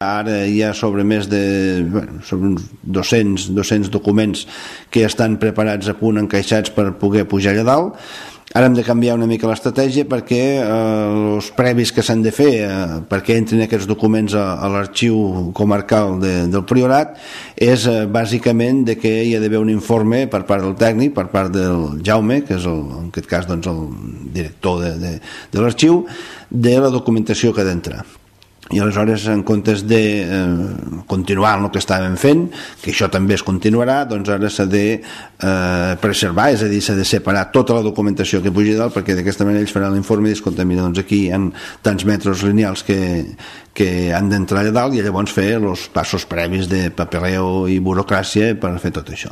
Ara hi ha sobre més de sobre uns 200 documents que estan preparats a punt, encaixats per poder pujar allà dalt. Ara hem de canviar una mica l'estratègia perquè els previs que s'han de fer perquè entrin aquests documents a l'arxiu comarcal del Priorat és bàsicament de que hi ha d'haver un informe per part del tècnic, per part del Jaume, que és en aquest cas doncs, el director de l'arxiu, de la documentació que ha d'entrar. I aleshores, en comptes de continuar el que estàvem fent, que això també es continuarà, doncs ara s'ha de preservar, és a dir, s'ha de separar tota la documentació que pugi dalt, perquè d'aquesta manera ells faran l'informe i diuen, escolta, mira, doncs aquí hi ha tants metres lineals que han d'entrar allà dalt, i llavors fer els passos previs de papereo i burocràcia per fer tot això.